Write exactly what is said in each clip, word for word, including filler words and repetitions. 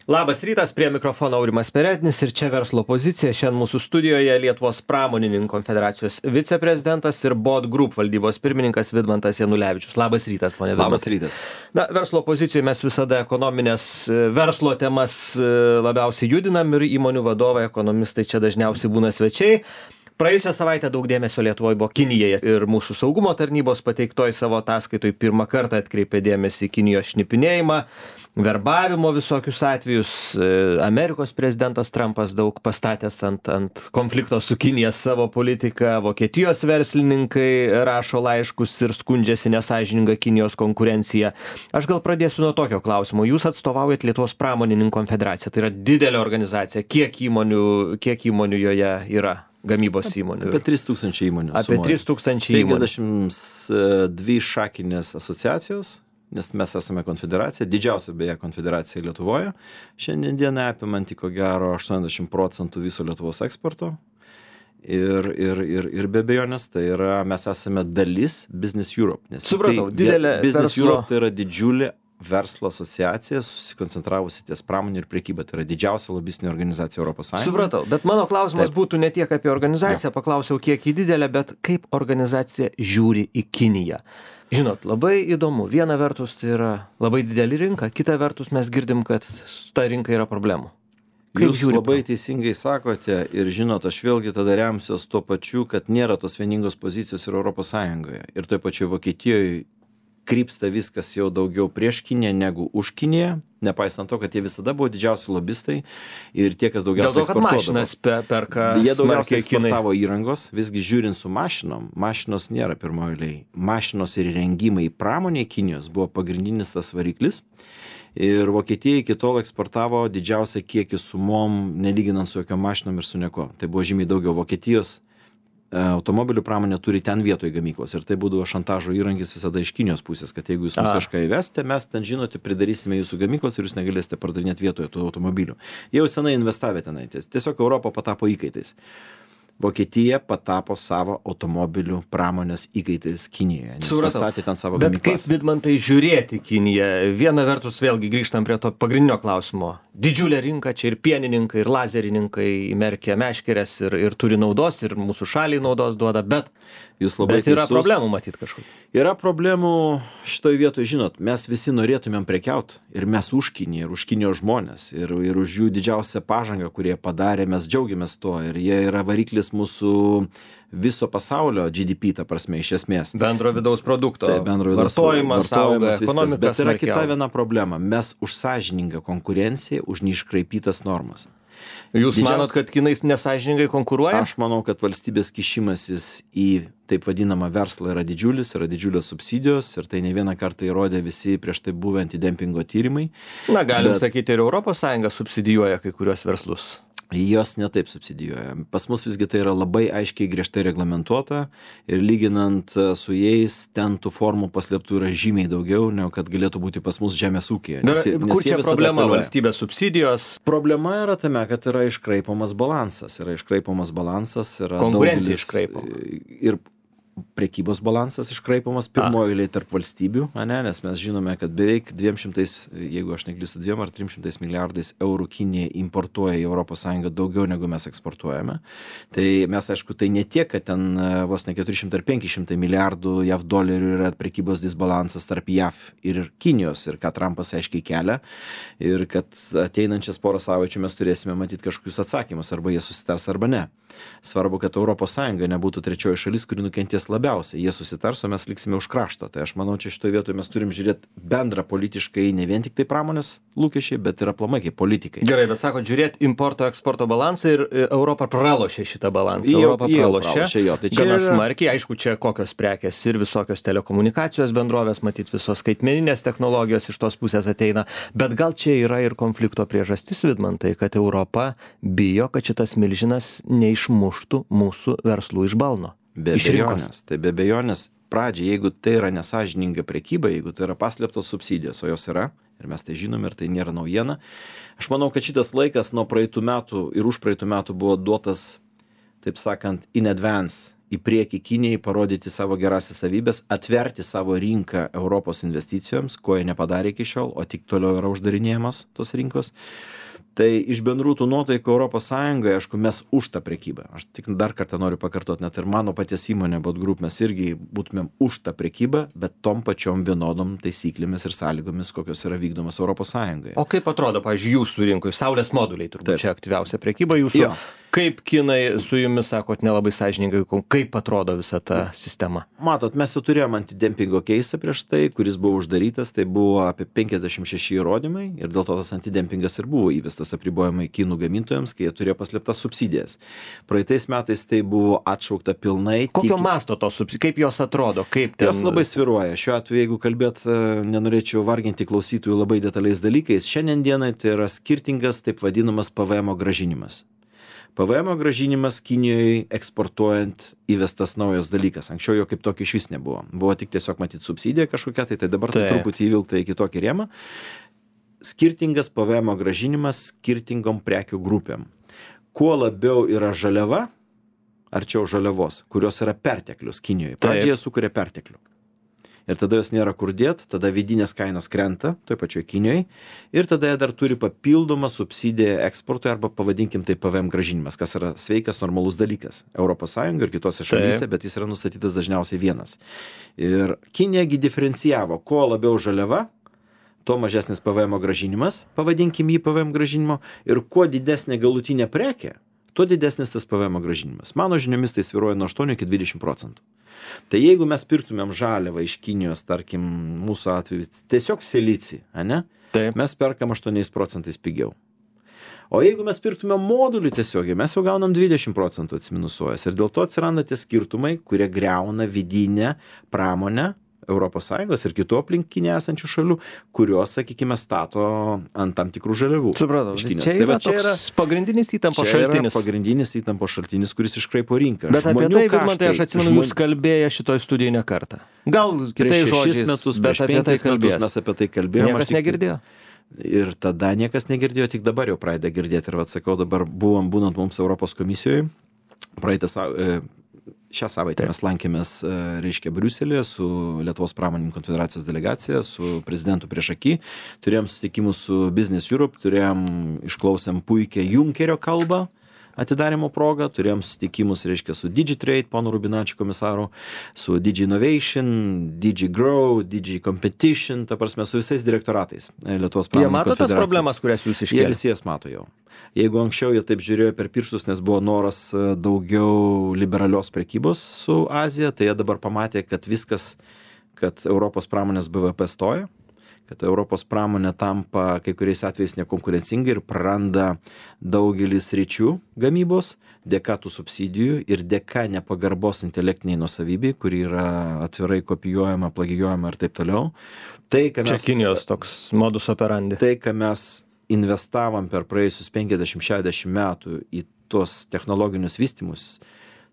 Labas rytas, prie mikrofono Aurimas Perednis ir čia verslo pozicija. Šiandien mūsų studijoje Lietuvos pramonininkų konfederacijos viceprezidentas ir B O D Group valdybos pirmininkas Vidmantas Janulevičius. Labas rytas, ponė Vidmantai. Labas rytas. Na, verslo pozicijoje mes visada ekonominės verslo temas labiausiai judinam ir įmonių vadovai, ekonomistai čia dažniausiai būna svečiai. Praėjusią savaitę daug dėmesio Lietuvoje buvo Kinijai ir mūsų saugumo tarnybos pateiktoj savo ataskaitoj pirmą kartą atkreipė dėmesį į Kinijos šnipinėjimą, verbavimo visokius atvejus. Amerikos prezidentas Trumpas daug pastatęs ant, ant konflikto su Kinija savo politiką. Vokietijos verslininkai rašo laiškus ir skundžiasi nesąžininga Kinijos konkurencija. Aš gal pradėsiu nuo tokio klausimo. Jūs atstovaujat Lietuvos pramonininkų konfederaciją. Tai yra didelė organizacija. Kiek įmonių, kiek įmonių joje yra? Gamybos įmonių. Apie trys tūkstančiai įmonių. Apie trys tūkstančiai įmonių. penkiasdešimt dvi šakinės asociacijos, nes mes esame konfederacija, didžiausia beje konfederacija Lietuvoje. Šiandien dieną apimanti ko gero aštuoniasdešimt procentų viso Lietuvos eksporto. Ir, ir, ir, ir be abejonės, tai yra, mes esame dalis Business Europe. Nes Supratau, tai, didelė Business verslo... Europe tai yra didžiulė verslo asociacija, susikoncentravusi ties pramonė ir prekyba. Tai yra didžiausia lobistinė organizacija Europos Sąjungoje. Supratau, bet mano klausimas Taip. būtų ne tiek apie organizaciją, ja. Paklausiau, kiek į didelę, bet kaip organizacija žiūri į Kiniją. Žinot, labai įdomu. Viena vertus tai yra labai didelė rinka, kita vertus mes girdim, kad ta rinka yra problemų. Kaip Jūs žiūri labai pro? teisingai sakote ir žinot, aš vėlgi tada remsiuos tuo pačiu, kad nėra tos vieningos pozicijos ir Europos Sąjungoje. Ir toj pačioj Vokietijoje krypsta viskas jau daugiau prieš Kiniją negu už Kiniją, nepaisant to, kad jie visada buvo didžiausi lobistai ir tie, kas daugiausiai eksportuodavo. Dėl to, kad mašinas pe, perka Jie daugiausiai smarkiai Kinai. eksportavo įrangos, visgi žiūrint su mašinom, mašinos nėra pirmojo eilėje. Mašinos ir rengimai pramonė Kinijos buvo pagrindinis tas variklis. Ir Vokietija iki tol eksportavo didžiausią kiekį sumom, nelyginant su jokiom mašinom ir su nieko. Tai buvo žymiai daugiau. Vokietijos automobilių pramonė turi ten vietoj gamyklos ir tai būdavo šantažo įrankis visada iš Kinijos pusės, kad jeigu jūs mums A. kažką įvesite, mes ten žinote, pridarysime jūsų gamyklas ir jūs negalėsite pardavinėti vietoje tų automobilių. Jie jau senai investavę tenai. Tiesiog Europa patapo įkaitais. Vokietija patapo savo automobilių pramonės įkaitais Kinijoje, nes Supratau. pastatė ten savo Bet gamyklas. kaip, Vidmantai, žiūrėti Kiniją? Viena vertus, vėlgi grįžtam prie to pagrindinio klausimo. Didžiulė rinka, čia ir pienininkai, ir lazerininkai įmerkia meškerės ir, ir turi naudos, ir mūsų šaliai naudos duoda, bet, Jūs labai bet yra teisus. problemų matyti kažkokių. Yra problemų šitoj vietoj, žinot, mes visi norėtumėm prekiaut ir mes už Kiniją, ir už Kinijos žmonės, ir, ir už jų didžiausią pažangą, kurie padarė, mes džiaugiamės tuo ir jie yra variklis mūsų viso pasaulio G D P, ta prasme, iš esmės. Bendro vidaus produkto. Tai bendro vidaus vartojimas, auga, viskas. ekonomika Bet yra smarkiai kita auga. viena problema. Mes už sąžiningą konkurenciją, už neiškraipytas normas. Jūs Didžiausia- manot, kad Kinai nesąžiningai konkuruoja? Aš manau, kad valstybės kišimasis į taip vadinamą verslą yra didžiulis, yra didžiulės subsidijos ir tai ne vieną kartą įrodė visi prieš tai buvę antidempingo tyrimai. Na, galim Bet- sakyti, ir Europos Sąjunga subsidijuoja kai kuriuos verslus. Jos netaip subsidijuoja. Pas mus visgi tai yra labai aiškiai griežtai reglamentuota ir lyginant su jais ten tų formų paslėptų yra žymiai daugiau, negu kad galėtų būti pas mus žemės ūkyje. Dar, Nes- nes kur jie čia visada problema? apeliuoja. Valstybės subsidijos, Problema yra tame, kad yra iškraipomas balansas. Yra iškraipomas balansas. Yra Konkurencija daugelis- iškraipoma. Ir prekybos balansas iškraipomas pirmojo eilėje tarp valstybių, ane, nes mes žinome, kad beveik dviem šimtais, jeigu aš neklystu, dviem ar trim šimtais milijardais eurų Kinija importuoja į Europos Sąjungą daugiau negu mes eksportuojame. Tai mes, aišku, tai ne tiek, kad ten e, vos ne keturi šimtai ar penki šimtai milijardų J A V dolerių yra prekybos disbalansas tarp J A V ir Kinijos ir ką Trumpas aiškiai kelia ir kad ateinančias porą savaičių mes turėsime matyti kažkokius atsakymus, arba jie susitars arba ne. Svarbu, kad Europos Sąjunga nebūtų trečioji šalis, kuri nukentės labiausiai. Jie susitars, o mes liksime už krašto. Tai aš manau, čia šitoje vietoje mes turim žiūrėti bendrą politiškai, ne vien tik tai pramonės lūkesčiai, bet ir aplamai kaip politikai. gerai, bet sako, žiūrėt importo eksporto balansą ir e, Europa pralošė šitą balansą. Jau- Europa jau pralošė. pralošė, jo. Tai čia Gana yra- smarkiai, aišku, čia kokios prekės ir visokios telekomunikacijos bendrovės, matyt, visos skaitmeninės technologijos iš tos pusės ateina. Bet gal čia yra ir konflikto priežastis, Vidmantai, kad Europa bijo, kad šitas milžinas neišmuštų mūsų verslų iš balno. Be iš rinkos. abejonės. Tai be abejonės, pradžiai, jeigu tai yra nesažininga prekyba, jeigu tai yra paslėptos subsidijos, o jos yra, ir mes tai žinom, ir tai nėra naujiena, aš manau, kad šitas laikas nuo praeitų metų ir už praeitų metų buvo duotas, taip sakant, in advance į priekį Kinijai, parodyti savo gerasias savybės, atverti savo rinką Europos investicijoms, ko jie nepadarė iki šiol, o tik toliau yra uždarinėjamos tos rinkos. Tai iš bendrų tų nuotaikų Europos Sąjungoje, aišku, mes už tą prekybą. Aš tik dar kartą noriu pakartoti, net ir mano paties įmonė Bot Group, mes irgi būtumėm už tą prekybą, bet tom pačiom vienodom taisyklėmis ir sąlygomis, kokios yra vykdomas Europos Sąjungoje. O kaip atrodo, pavyzdžiui, jūsų rinkoje, saulės moduliai turbūt Taip. čia aktyviausia prekyba jūsų. Jo. Kaip kinai su jumis, sakot, nelabai sąžiningai, kaip atrodo visa ta sistema? Matot, mes jau turėjom antidempingo keisą prieš tai, kuris buvo uždarytas, tai buvo apie penkiasdešimt šeši įrodymai ir dėl to tas antidempingas ir buvo įvestas apribojimai kinų gamintojams, kai jie turėjo paslėptas subsidijas. Praeitais metais tai buvo atšaukta pilnai. Kokio tik... masto tos subsidijos, kaip jos atrodo, kaip ten... Jos labai sviruoja. Šiuo atveju, jeigu kalbėt, nenorėčiau varginti klausytojų labai detaliais dalykais, šiandien dienai tai yra skirtingas taip vadinamas P V M gražinimas. P V M gražinimas Kinijoje eksportuojant įvestas naujas dalykas. Anksčiau jo kaip tokio iš vis nebuvo. Buvo tik tiesiog matyti subsidija kažkokia, tai, tai dabar tai truputį įvilkta į kitokį rėmą. Skirtingas P V M gražinimas skirtingom prekių grupėm. Kuo labiau yra žaliava, arčiau žaliavos, kurios yra perteklius Kinijoje. Pradžioje sukuria perteklių. Ir tada jos nėra kur dėt, tada vidinės kainos krenta, toj pačioj Kinijoje, ir tada jie dar turi papildomą subsidiją eksportui arba pavadinkim tai P V M gražinimas, kas yra sveikas, normalus dalykas Europos Sąjungoje ir kitose šalyse, bet jis yra nustatytas dažniausiai vienas. Ir Kinijagi diferencijavo, kuo labiau žaliava, tuo mažesnis P V M gražinimas, pavadinkim jį P V M gražinimo, ir kuo didesnė galutinė prekė, tuo didesnis tas P V M gražinimas. Mano žiniomis tai svyruoja nuo aštuonių iki dvidešimt procentų. Tai jeigu mes pirktumėm žaliavą iš Kinijos, tarkim, mūsų atveju, tiesiog silicį, ane? Taip. Mes perkam aštuoniais procentais pigiau. O jeigu mes pirktumėm modulį tiesiogiai, mes jau gaunam dvidešimt procentų atsiminusuojas. Ir dėl to atsiranda tie skirtumai, kurie greuna vidinę pramonę Europos Sąjungos ir kitų aplinkinė esančių šalių, kurios, sakykime, stato ant tam tikrų žaliavų. Supratau, čia tai yra toks yra pagrindinis įtampos šaltinis. Čia yra pagrindinis įtampos šaltinis, kuris iškraipo rinką. Bet Žmonių apie tai, kaštai, man tai aš atsimenu, jūs kalbėję šitoj studijai ne kartą. Gal kitais žodžiais, metus, bet apie tai kalbės. Mes apie tai kalbėjome. Niekas negirdėjo. Ir tada niekas negirdėjo, tik dabar jau pradeda girdėti. Ir atsakau, dabar buvom būnant mums Europos komisijoje, praeitą savaitę. Šią savaitę mes lankėmės, reiškia, Briuselėje su Lietuvos pramonininkų konfederacijos delegacija, su prezidentu priešaky. Turėjom susitikimus su Business Europe, turėjom, išklausėm puikią Junkerio kalbą atidarimo progą, turėjom susitikimus, reiškia, su Digitrade, pono Rubinačio komisaru, su Digi Innovation, Digi Grow, Digi Competition, ta prasme, su visais direktoratais Lietuvos pramonininkų konfederacijos. Jie mato tas problemas, kurias jūs iškėlėte? Jie visi jas mato jau. Jeigu anksčiau jie taip žiūrėjo per pirštus, nes buvo noras daugiau liberalios prekybos su Azija, tai jie dabar pamatė, kad viskas, kad Europos pramonės B V P stoja, kad Europos pramonė tampa kai kuriais atvejais nekonkurencinga ir praranda daugelį sričių gamybos dėka tų subsidijų ir dėka nepagarbos intelektiniai nuosavybei, kuri yra atvirai kopijuojama, plagijuojama ir taip toliau. Tai, ką mes, čia Kinijos toks modus operandi. Tai, ką mes investavom per praėjusius penkiasdešimt šešiasdešimt metų į tuos technologinius vystymus,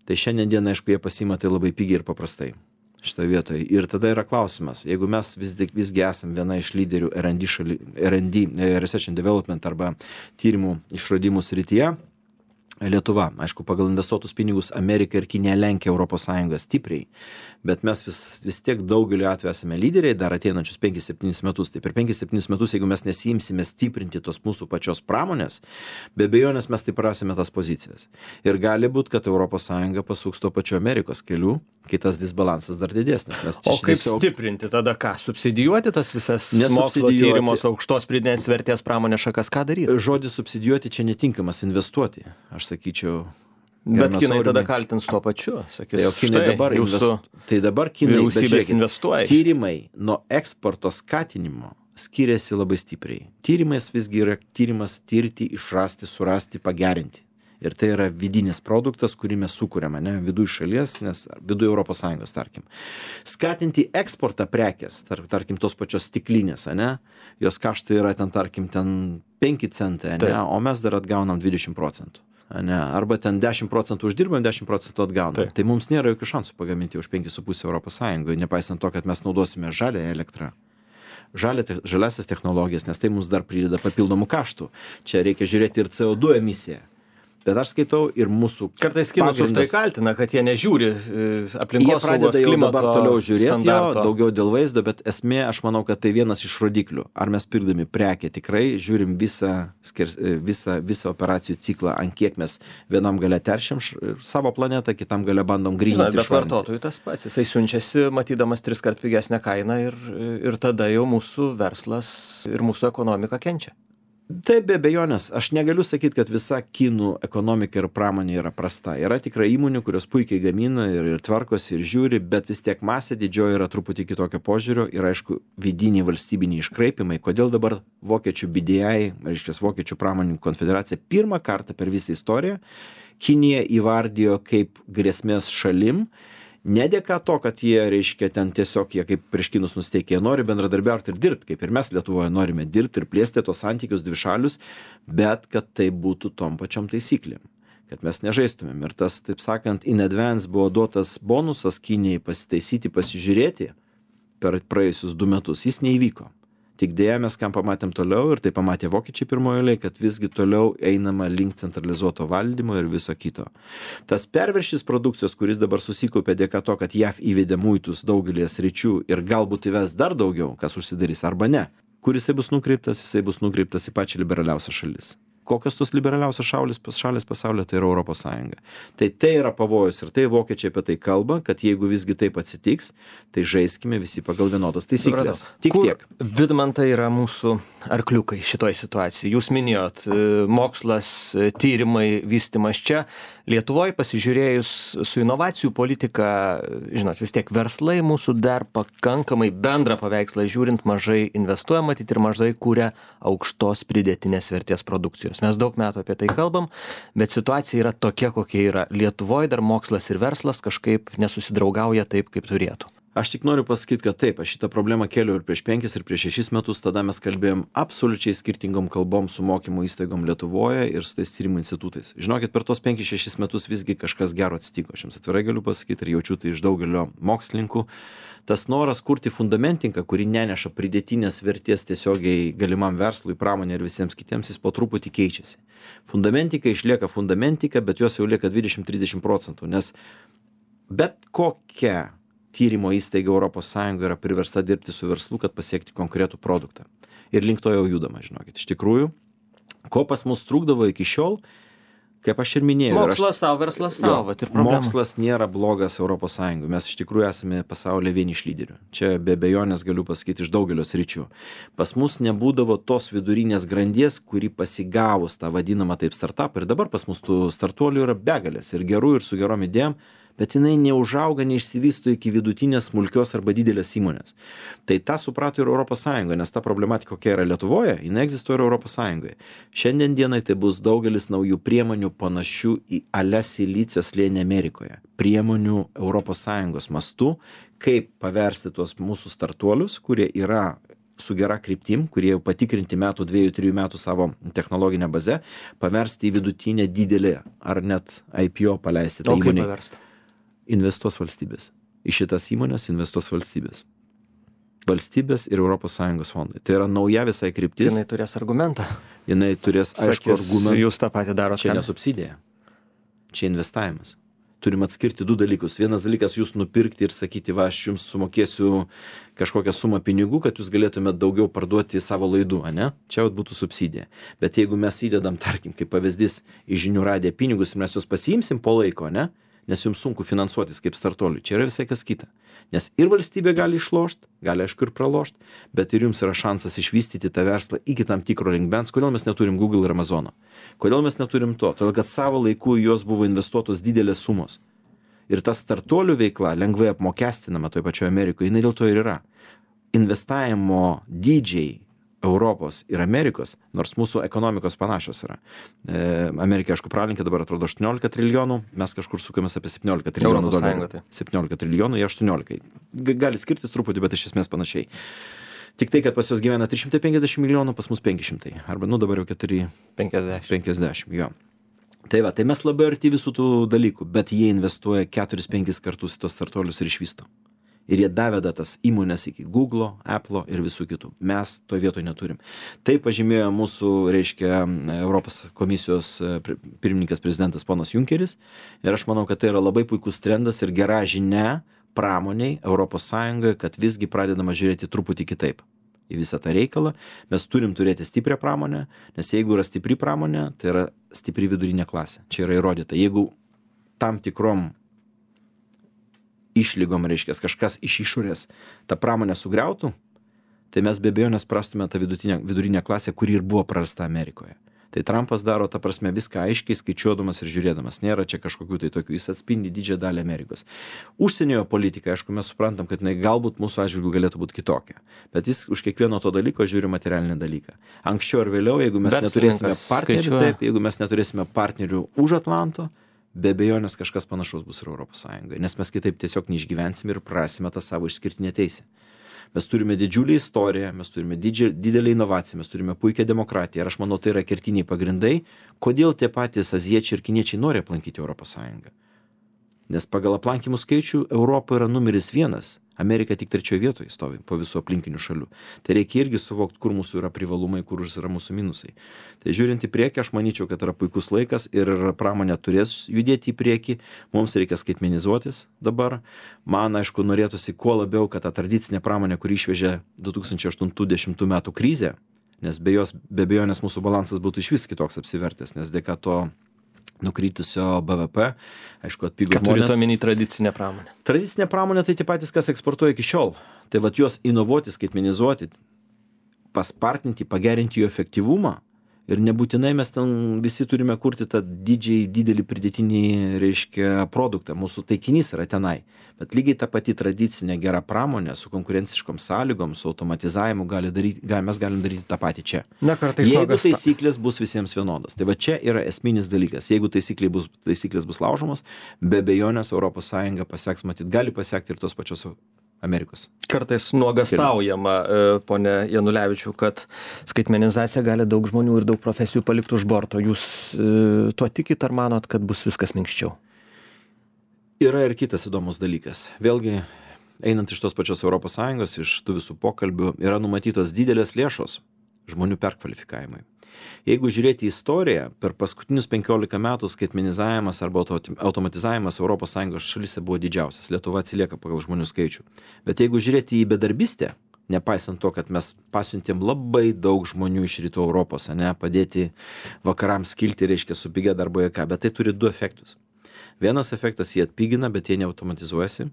tai šiandien dieną, aišku, jie pasima tai labai pigiai ir paprastai šitoje vietoje. Ir tada yra klausimas, jeigu mes vis, visgi esam viena iš lyderių R and D, šali, R and D, Research and Development arba tyrimų išradimų srityje, Lietuva, aišku, pagal investuotus pinigus Amerika ir Kinija lenkia Europos Sąjungą stipriai, bet mes vis, vis tiek daugeliu atveju esame lyderiai dar ateinančius penkis septynis metus. Tai per penkis septynis metus, jeigu mes nesiimsime stiprinti tos mūsų pačios pramonės, be abejonės mes taip prasime tas pozicijas. Ir gali būti, kad Europos Sąjunga pasuks to pačiu Amerikos keliu, kai tas disbalansas dar didesnis. Mes o kaip tiesiog... stiprinti tada ką? Subsidijuoti tas visas mokslo tyrimos aukštos pridėtinės vertės pramonės šakas, ką daryti? Žodis subsidijuoti čia netinkamas, investuoti, aš sakyčiau. Bet kinai tada kaltins tuo pačiu, sakys, tai kinai dabar jūsų tai dabar kinai vyriausybės investuoja. Tyrimai nuo eksporto skatinimo skiriasi labai stipriai. Tyrimas visgi yra tyrimas tirti, išrasti, surasti, pagerinti. Ir tai yra vidinis produktas, kurį mes sukūrėme, ne, viduje šalies, nes viduje Europos Sąjungos, tarkim. Skatinti eksportą prekės, tar, tarkim, tos pačios stiklinės, ne, jos kaštai yra ten, tarkim, ten penki centai, ne, o mes dar atgaunam dvidešimt procentų. Ne, arba ten dešimt procentų uždirbam, dešimt procentų atgaunam. Taip. Tai mums nėra jokių šansų pagaminti už penkis su puse Europos Sąjungoje, nepaisant to, kad mes naudosime žalią elektrą. Žalia, žaliasias technologijas, nes tai mums dar prideda papildomų kaštų. Čia reikia žiūrėti ir C O du emisiją. Bet aš skaitau ir mūsų kartais kinus už tai kaltina, kad jie nežiūri aplinkos jie pradeda jau dabar toliau žiūrėti jo, daugiau dėl vaizdo, bet esmė, aš manau, kad tai vienas iš rodiklių. Ar mes pirkdami prekę tikrai žiūrim visą, skers, visą, visą operacijų ciklą, ant kiek mes vienam gale teršiam savo planetą, kitam gale bandom gryninti. Bet vartotojui tas pats, jisai siunčiasi, matydamas tris kart pigesnę kainą ir, ir tada jau mūsų verslas ir mūsų ekonomika kenčia. Taip, be abejonės, aš negaliu sakyti, kad visa kinų ekonomika ir pramonė yra prasta. Yra tikrai įmonių, kurios puikiai gamina ir, ir tvarkosi ir žiūri, bet vis tiek masė didžioji yra truputį kitokio požiūrio ir aišku vidiniai valstybiniai iškraipimai. Kodėl dabar vokiečių B D I, reiškia vokiečių pramonininkų konfederacija, pirmą kartą per visą istoriją Kiniją įvardijo kaip grėsmės šalim. Ne dėka to, kad jie, reiškia, ten tiesiog jie kaip prieš kinus nusteikė, jie nori bendradarbiauti ir dirbti, kaip ir mes Lietuvoje norime dirbti ir plėsti tos santykius dvišalius, bet kad tai būtų tom pačiom taisyklėm, kad mes nežaistumėm. Ir tas, taip sakant, in advance buvo duotas bonusas Kinijai pasitaisyti, pasižiūrėti per praėjusius du metus, jis neįvyko. Tik dėja mes kam pamatėm toliau ir tai pamatė vokiečiai pirmojo eilėje, kad visgi toliau einama link centralizuoto valdymo ir viso kito. Tas perviršis produkcijos, kuris dabar susikaupė dėka to, kad J A V įvedė muitus daugelį sričių ir galbūt įves dar daugiau, kas užsidarys arba ne, kur jisai bus nukreiptas, jisai bus nukreiptas į pačią liberaliausią šalis. Kokios tos liberaliausios šalis, šalis pasaulyje, tai yra Europos Sąjunga. Tai tai yra pavojus ir tai vokiečiai apie tai kalba, kad jeigu visgi taip atsitiks, tai žaiskime visi pagal vienodas taisyklės. Tik Kur, tiek. Vidmantai, yra mūsų arkliukai šitoj situacijai. Jūs minėjot mokslas, tyrimai, vystymas čia. Lietuvoje pasižiūrėjus su inovacijų politika, žinot, vis tiek verslai mūsų dar pakankamai bendrą paveikslą žiūrint mažai investuoja, matyt, ir mažai kūrė aukštos pridėtinės vertės produkcijos. Mes daug metų apie tai kalbam, bet situacija yra tokia, kokia yra. Lietuvoje dar mokslas ir verslas kažkaip nesusidraugauja taip, kaip turėtų. Aš tik noriu pasakyti, kad taip, aš šitą problemą kėliau ir prieš penkis, ir prieš šešis metus, tada mes kalbėjom absoliučiai skirtingom kalbom su mokymo įstaigom Lietuvoje ir su tais tyrimų institutais. Žinokit, per tos penkis šešis metus visgi kažkas gero atsitiko. Aš jums atvirai galiu pasakyti ir jaučiu tai iš daugelio mokslininkų. Tas noras kurti fundamentiką, kuri neneša pridėtinės vertės tiesiogiai galimam verslui, pramonė ir visiems kitiems, jis po truputį keičiasi. Fundamentika išlieka fundamentika, bet jos jau lieka dvidešimt trisdešimt procentų, nes bet kokia tyrimo įstaiga Europos Sąjunga yra priversta dirbti su verslu, kad pasiekti konkretų produktą. Ir link to jau judama, žinokit. Iš tikrųjų, ko pas mus trūkdavo iki šiol, kaip aš ir minėjau. Mokslas savo, verslas savo. Mokslas nėra blogas Europos Sąjungai. Mes iš tikrųjų esame pasaulyje vieni iš lyderių. Čia be abejonės galiu pasakyti iš daugelio sričių. Pas mus nebūdavo tos vidurinės grandies, kuri pasigavus tą vadinamą taip startup. Ir dabar pas mus tų startuolių yra begalės ir gerų ir su gerom idėjom, bet jinai neužauga, neišsivysto iki vidutinės, smulkios arba didelės įmonės. Tai tą suprato ir Europos Sąjunga, nes ta problematika, kokia yra Lietuvoje, jinai egzistuoja ir Europos Sąjungoje. Šiandien dienai tai bus daugelis naujų priemonių panašių į ale silicio slėnį Amerikoje. Priemonių Europos Sąjungos mastu, kaip paversti tuos mūsų startuolius, kurie yra su gera kryptim, kurie jau patikrinti metų, dviejų, trijų metų savo technologinę bazę, paversti į vidutinę didelį ar net I P O paleisti. O kaip paversti? Investuos valstybės. Į šitas įmonės investuos valstybės. Valstybės ir Europos Sąjungos fondai. Tai yra nauja visai kryptis. Jinai turės argumentą. Jinai turės, aišku, argumentą. Jūs tą patį darote. Čia ne subsidija. Čia investavimas. Turim atskirti du dalykus. Vienas dalykas jūs nupirkti ir sakyti, va, aš jums sumokėsiu kažkokią sumą pinigų, kad jūs galėtumėte daugiau parduoti savo laidų, ane? Čia būtų subsidija. Bet jeigu mes įdedam, tarkim, kaip pavyzdys, į žinių radiją pinigus ir mes juos pasiimsim po laiko, ne? Nes jums sunku finansuotis kaip startuoliui. Čia yra visai kas kita. Nes ir valstybė gali išlošti, gali aišku ir pralošti, bet ir jums yra šansas išvystyti tą verslą iki tam tikro lygmens. Kodėl mes neturim Google ir Amazono? Kodėl mes neturim to? Todėl, kad savo laiku į juos buvo investuotos didelės sumos. Ir ta startuolių veikla lengvai apmokestinama toje pačioje Amerikoje, jinai dėl to ir yra. Investavimo dydžiai Europos ir Amerikos, nors mūsų ekonomikos panašios yra. E, Amerika, aišku, pralinkė dabar atrodo aštuoniolika trilijonų, mes kažkur sukamės apie septyniolika trilijonų dolerių. Tai. septyniolika trilijonų, jie aštuoniolika. Gali skirtis truputį, bet iš esmės panašiai. Tik tai, kad pas juos gyvena trys šimtai penkiasdešimt milijonų, pas mus penki šimtai. Arba, nu, dabar jau keturi penkiasdešimt. Jo. Tai va, tai mes labai arti visų tų dalykų, bet jie investuoja keturis penkis kartus į tos startuolius ir išvysto. Ir jie daveda tas įmonės iki Google, Apple ir visų kitų. Mes to vietoje neturim. Tai pažymėjo mūsų, reiškia, Europos komisijos pirmininkas prezidentas ponas Junkeris. Ir aš manau, kad tai yra labai puikus trendas ir gera žinia pramoniai Europos Sąjungoje, kad visgi pradedama žiūrėti truputį kitaip į visą tą reikalą. Mes turim turėti stiprią pramonę, nes jeigu yra stipri pramonė, tai yra stipri vidurinė klasė. Čia yra įrodyta. Jeigu tam tikrom išlygom, reiškia, kažkas iš išorės tą pramonę sugriautų, tai mes be abejonės prastume tą vidutinę, vidurinę klasę, kuri ir buvo prarasta Amerikoje. Tai Trumpas daro, ta prasme, viską aiškiai skaičiuodamas ir žiūrėdamas. Nėra čia kažkokių tai tokių, jis atspindi didžiąją dalį Amerikos. Užsienio politika, aišku, mes suprantam, kad jinai galbūt mūsų atžvilgiu galėtų būti kitokia. Bet jis už kiekvieno to dalyko žiūri materialinį dalyką. Anksčiau ar vėliau, jeigu mes neturėsime partnerių, taip, jeigu mes neturėsime partnerių už Atlanto, be abejonės kažkas panašaus bus ir Europos Sąjungoje, nes mes kitaip tiesiog neišgyvensim ir prasime tą savo išskirtinę teisę. Mes turime didžiulį istoriją, mes turime didžią, didelį inovaciją, mes turime puikią demokratiją ir aš manau, tai yra kertiniai pagrindai, kodėl tie patys azijiečiai ir kiniečiai nori aplankyti Europos Sąjungą. Nes pagal aplankymų skaičių Europa yra numeris vienas, Amerika tik trečioje vietoje stovi po visų aplinkinių šalių. Tai reikia irgi suvokti, kur mūsų yra privalumai, kur yra mūsų minusai. Tai žiūrint į priekį, aš manyčiau, kad yra puikus laikas ir pramonė turės judėti į priekį. Mums reikia skaitmenizuotis dabar. Man, aišku, norėtųsi kuo labiau, kad ta tradicinė pramonė, kuri išvežė du tūkstančiai aštuntų dešimtų metų krizę, nes be jos, be abejonės mūsų balansas būtų išvis kitoks apsivertęs, nes dėka to nukritusio B V P, aišku, atpigo žmonės. Ką turite omeny tradicinę pramonę? Tradicinė pramonė tai tie patys, kas eksportuoja iki šiol. Tai vat juos inovuoti, skaitmenizuoti, paspartinti, pagerinti jų efektyvumą. Ir nebūtinai mes ten visi turime kurti tą didžiai, didelį pridėtinį, reiškia, produktą. Mūsų taikinys yra tenai. Bet lygiai ta pati tradicinė gera pramonė su konkurenciškom sąlygom, su automatizavimu gali daryti, gal, mes galim daryti tą patį čia. Na, kartais jeigu nuogasta... taisyklės bus visiems vienodos. Tai va čia yra esminis dalykas. Jeigu taisyklės bus, taisyklės bus laužomos, be abejonės Europos Sąjunga paseks, matyt, gali pasiekti ir tos pačios Amerikos. Kartais nuogastaujama, ponė Janulevičiau, kad skaitmenizacija gali daug žmonių ir daug profesijų palikti už borto. Jūs tuo tikit ar manot, kad bus viskas minkščiau? Yra ir kitas įdomus dalykas. Vėlgi, einant iš tos pačios Europos Sąjungos, iš tų visų pokalbių, yra numatytos didelės lėšos žmonių perkvalifikavimui. Jeigu žiūrėti į istoriją, per paskutinius penkiolika metų skaitmenizavimas arba automatizavimas Europos Sąjungos šalyse buvo didžiausias. Lietuva atsilieka pagal žmonių skaičių. Bet jeigu žiūrėti į bedarbystę, nepaisant to, kad mes pasiuntėm labai daug žmonių iš rytų Europos, ne, padėti vakarams kilti, reiškia, su pigia darbo jėga, bet tai turi du efektus. Vienas efektas, jie atpigina, bet jie neautomatizuojasi.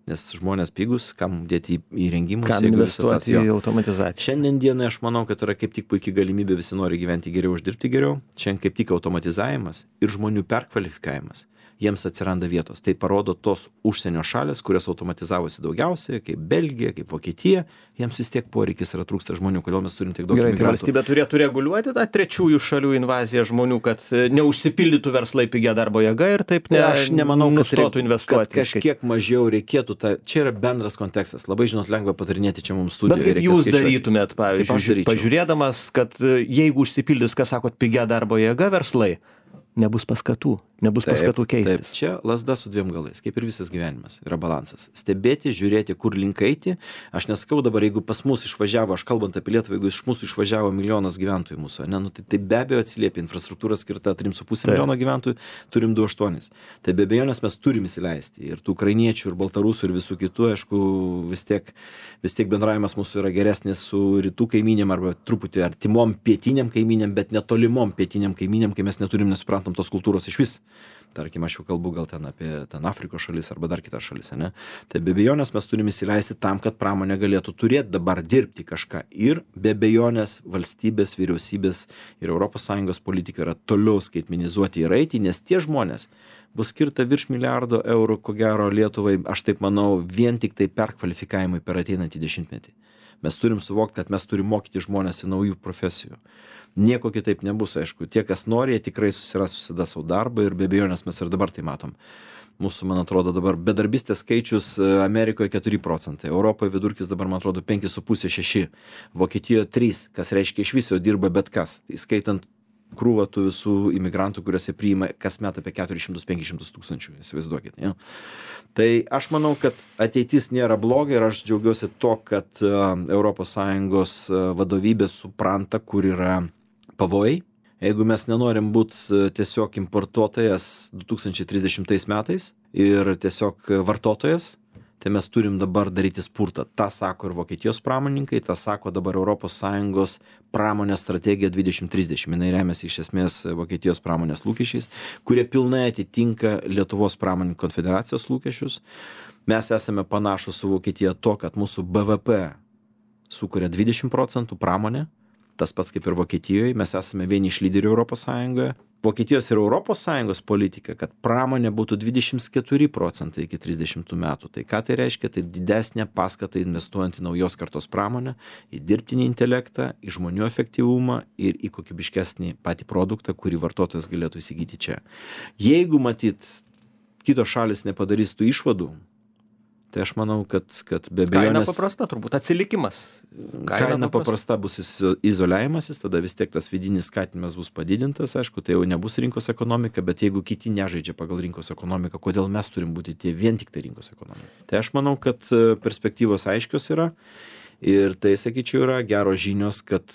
Nes žmonės pigus, kam dėti į įrengimus, kam investuoti į automatizaciją. Šiandien dienai aš manau, kad yra kaip tik puikiai galimybė, visi nori gyventi geriau, uždirbti geriau. Šiandien kaip tik automatizavimas ir žmonių perkvalifikavimas, jiems atsiranda vietos. Tai parodo tos užsienio šalės, kurios automatizavosi daugiausiai, kaip Belgija, kaip Vokietija, jiems vis tiek poreikis yra, trūksta žmonių, kodėl mes turim tiek daug imigrantų. Gerai, tai valstybė turėtų reguliuoti tą trečiųjų šalių invaziją žmonių, kad neužsipildytų verslai pigia darbo jėga ir taip ne, aš nemanau, kad nustotų investuoti. Kad kažkiek mažiau reikėtų, ta, čia yra bendras kontekstas. Labai, žinot, lengva patarinėti čia mums studijoje. Bet kaip jūs skaičiuoti. Darytumėt, pavyzdžiui, pažiūrėdamas, kad jeigu užsipildys, kas sakot, pigia darbo jėga verslai, nebus paskatų, nebus taip, paskatų keistis. Taip, čia lazda su dviem galais, kaip ir visas gyvenimas, yra balansas. Stebėti, žiūrėti, kur link eiti. Aš nesakau dabar, jeigu pas mus išvažiavo, aš kalbant apie Lietuvą, jeigu iš mūsų išvažiavo milijonas gyventojų mūsų, ne, nu, tai, tai be abejo atsiliepia infrastruktūra skirta trim su puse milijono gyventojų, turim du aštuonis. Tai be abejonės mes turim įsileisti ir tų ukrainiečių, ir baltarusų, ir visų kitų, aišku, vis tiek, vis tiek bendravimas mūsų yra geresnis su rytų kaiminėm arba truputį artimom pietiniam kaiminėm, bet netolimom pietiniam kaiminėm, kai mes neturim nesuprantam tos kultūros iš vis. Tarkim, aš jau kalbu gal ten apie ten Afrikos šalis arba dar kitas šalis, ne? Tai be abejonės mes turime įsileisti tam, kad pramonė galėtų turėti dabar dirbti kažką. Ir be abejonės valstybės, vyriausybės ir Europos Sąjungos politika yra toliau skaitmenizuoti ir eiti, nes tie žmonės bus skirta virš milijardo eurų, ko gero Lietuvai, aš taip manau, vien tik tai perkvalifikavimui per ateinantį dešimtmetį. Mes turim suvokti, kad mes turim mokyti žmonės į naujų profesijų. Nieko kitaip nebus, aišku. Tie, kas nori, jie tikrai susiras visada savo darbą ir be abejonės mes ir dabar tai matom. Mūsų, man atrodo, dabar bedarbystės skaičius Amerikoje keturi procentai, Europoje vidurkis dabar, man atrodo, penki su puse šeši, Vokietijoje trys, kas reiškia iš viso dirba bet kas, įskaitant krūvą tų visų imigrantų, kuriuose priima kasmet apie keturis šimtus penkis šimtus tūkstančių, įsivaizduokit. Ja. Tai aš manau, kad ateitis nėra bloga ir aš džiaugiuosi to, kad Europos Sąjungos vadovybė supranta, kur yra pavojai. Jeigu mes nenorim būti tiesiog importuotojas du tūkstančiai trisdešimtais metais ir tiesiog vartotojas, tai mes turim dabar daryti spurtą. Ta sako ir Vokietijos pramoninkai, ta sako dabar Europos Sąjungos pramonės strategija dvidešimt trisdešimt. Jinai remiasi iš esmės Vokietijos pramonės lūkesčiais, kurie pilnai atitinka Lietuvos pramonininkų konfederacijos lūkesčius. Mes esame panašus su Vokietija to, kad mūsų B V P sukuria dvidešimt procentų pramonė. Tas pats kaip ir Vokietijoje, mes esame vieni iš lyderių Europos Sąjungoje. Vokietijos ir Europos Sąjungos politika, kad pramonė būtų dvidešimt keturi procentai iki trisdešimtų metų. Tai ką tai reiškia? Tai didesnė paskata investuojant į naujos kartos pramonę, į dirbtinį intelektą, į žmonių efektyvumą ir į kokybiškesnį patį produktą, kurį vartotojas galėtų įsigyti čia. Jeigu matyt, kitos šalis nepadarys tų išvadų, tai aš manau, kad, kad be abejonės... Kaina paprasta turbūt, atsilikimas. Kaina, kaina paprasta bus izoliavimasis, tada vis tiek tas vidinis skatinimas bus padidintas, aišku, tai jau nebus rinkos ekonomika, bet jeigu kiti nežaidžia pagal rinkos ekonomiką, kodėl mes turim būti tie vien tik tai rinkos ekonomika? Tai aš manau, kad perspektyvos aiškios yra ir tai, sakyčiau, yra geros žinios, kad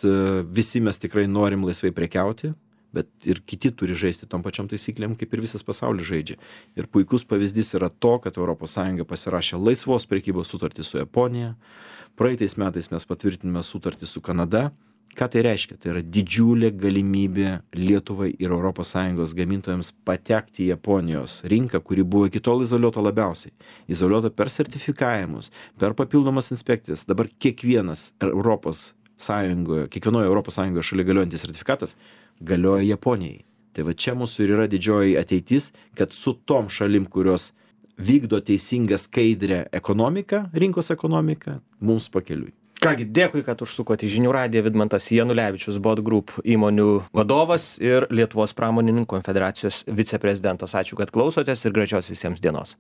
visi mes tikrai norim laisvai prekiauti, bet ir kiti turi žaisti tom pačiom taisyklėm, kaip ir visas pasaulis žaidžia. Ir puikus pavyzdys yra to, kad Europos Sąjunga pasirašė laisvos prekybos sutartį su Japonija. Praeitais metais mes patvirtinome sutartį su Kanada. Ką tai reiškia? Tai yra didžiulė galimybė Lietuvai ir Europos Sąjungos gamintojams patekti į Japonijos rinką, kuri buvo iki tol izoliuota labiausiai. Izoliuota per sertifikavimus, per papildomas inspekcijas. Dabar kiekvienas Europos Sąjungoje, kiekvienoje Europos Sąjungoje šalia galiojantis sertifikatas galioja Japonijai. Tai va čia mūsų ir yra didžioji ateitis, kad su tom šalim, kurios vykdo teisingą skaidrę ekonomiką, rinkos ekonomiką, mums pakeliui. Kągi, dėkui, kad užsukote į Žinių radiją. Vidmantas Janulevičius, Bot Group įmonių vadovas ir Lietuvos pramonininkų konfederacijos viceprezidentas. Ačiū, kad klausotės ir gražios visiems dienos.